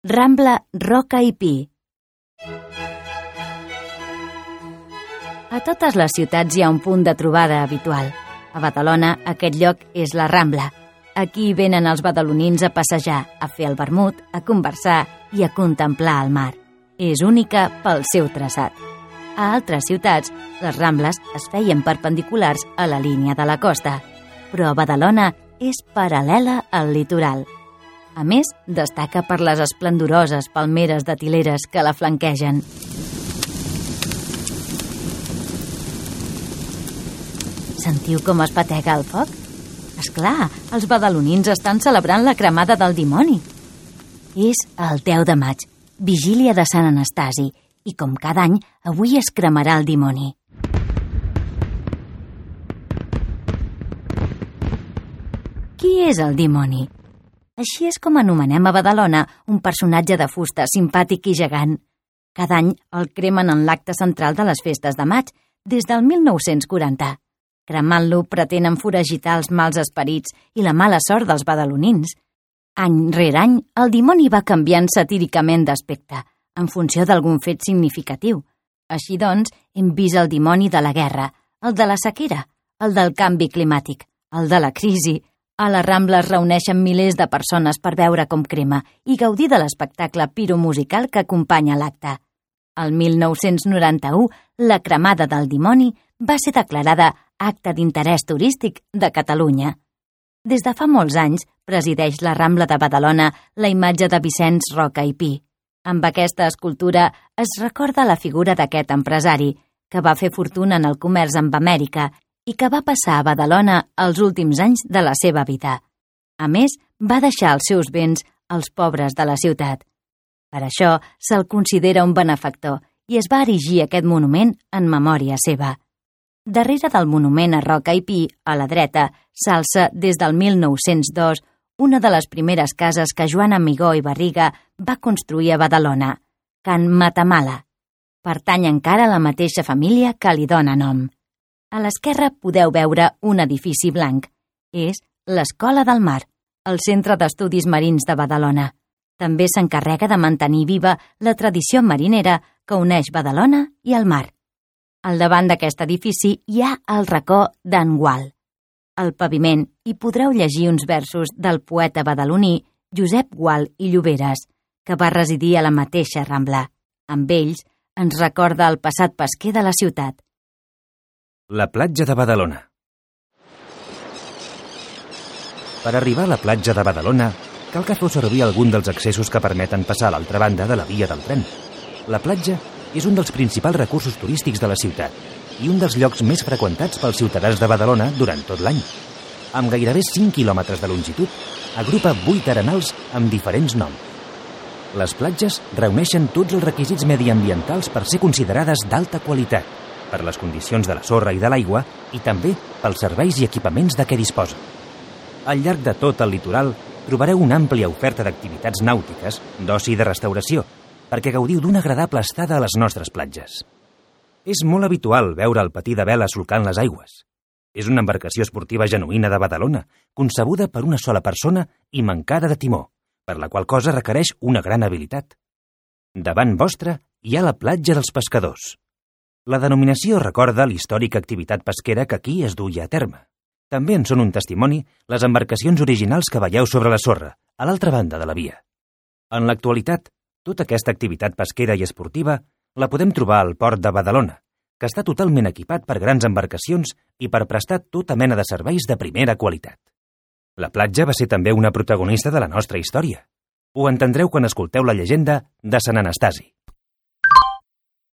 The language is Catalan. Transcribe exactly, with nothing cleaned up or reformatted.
Rambla Roca i Pi. A totes les ciutats hi ha un punt de trobada habitual. A Badalona, aquest lloc és la Rambla. Aquí venen els badalonins a passejar, a fer el vermut, a conversar i a contemplar el mar. És única pel seu traçat. A altres ciutats, les Rambles es feien perpendiculars a la línia de la costa, però a Badalona és paral·lela al litoral. A més, destaca per les esplendoroses palmeres de tileres que la flanquegen. Sentiu com es patega el foc? Esclar, els badalonins estan celebrant la cremada del dimoni. És el deu de maig, vigília de Sant Anastasi, i com cada any, avui es cremarà el dimoni. Qui és el dimoni? Així és com anomenem a Badalona un personatge de fusta simpàtic i gegant. Cada any el cremen en l'acte central de les festes de maig, des del mil nou-cents quaranta. Cremant-lo pretenen foragitar els mals esperits i la mala sort dels badalonins. Any rere any, el dimoni va canviant satíricament d'aspecte, en funció d'algun fet significatiu. Així doncs, hem vist el dimoni de la guerra, el de la sequera, el del canvi climàtic, el de la crisi. A la Rambla es reuneixen milers de persones per veure com crema i gaudir de l'espectacle piromusical que acompanya l'acte. El mil nou-cents noranta-u, la cremada del dimoni va ser declarada Acte d'Interès Turístic de Catalunya. Des de fa molts anys presideix la Rambla de Badalona la imatge de Vicenç Roca i Pi. Amb aquesta escultura es recorda la figura d'aquest empresari, que va fer fortuna en el comerç amb Amèrica i que va passar a Badalona els últims anys de la seva vida. A més, va deixar els seus béns als pobres de la ciutat. Per això se'l considera un benefactor i es va erigir aquest monument en memòria seva. Darrere del monument a Roca i Pi, a la dreta, s'alça des del mil nou-cents dos una de les primeres cases que Joan Amigó i Barriga va construir a Badalona, Can Matamala. Pertany encara a la mateixa família que li dóna nom. A l'esquerra podeu veure un edifici blanc. És l'Escola del Mar, el Centre d'Estudis Marins de Badalona. També s'encarrega de mantenir viva la tradició marinera que uneix Badalona i el mar. Al davant d'aquest edifici hi ha el racó d'en Gual. Al paviment hi podreu llegir uns versos del poeta badaloní Josep Gual i Lloberes, que va residir a la mateixa Rambla. Amb ells ens recorda el passat pesquer de la ciutat. La platja de Badalona. Per arribar a la platja de Badalona, cal que feu servir algun dels accessos que permeten passar a l'altra banda de la via del tren. La platja és un dels principals recursos turístics de la ciutat i un dels llocs més freqüentats pels ciutadans de Badalona durant tot l'any. Amb gairebé cinc quilòmetres de longitud, agrupa vuit arenals amb diferents noms. Les platges reuneixen tots els requisits mediambientals per ser considerades d'alta qualitat, per les condicions de la sorra i de l'aigua i també pels serveis i equipaments de què disposa. Al llarg de tot el litoral trobareu una àmplia oferta d'activitats nàutiques, d'oci i de restauració, perquè gaudiu d'una agradable estada a les nostres platges. És molt habitual veure el patí de vela solcant les aigües. És una embarcació esportiva genuïna de Badalona, concebuda per una sola persona i mancada de timó, per la qual cosa requereix una gran habilitat. Davant vostre hi ha la platja dels pescadors. La denominació recorda l'històrica activitat pesquera que aquí es duia a terme. També en són un testimoni les embarcacions originals que veieu sobre la sorra, a l'altra banda de la via. En l'actualitat, tota aquesta activitat pesquera i esportiva la podem trobar al port de Badalona, que està totalment equipat per grans embarcacions i per prestar tota mena de serveis de primera qualitat. La platja va ser també una protagonista de la nostra història. Ho entendreu quan escolteu la llegenda de Sant Anastasi.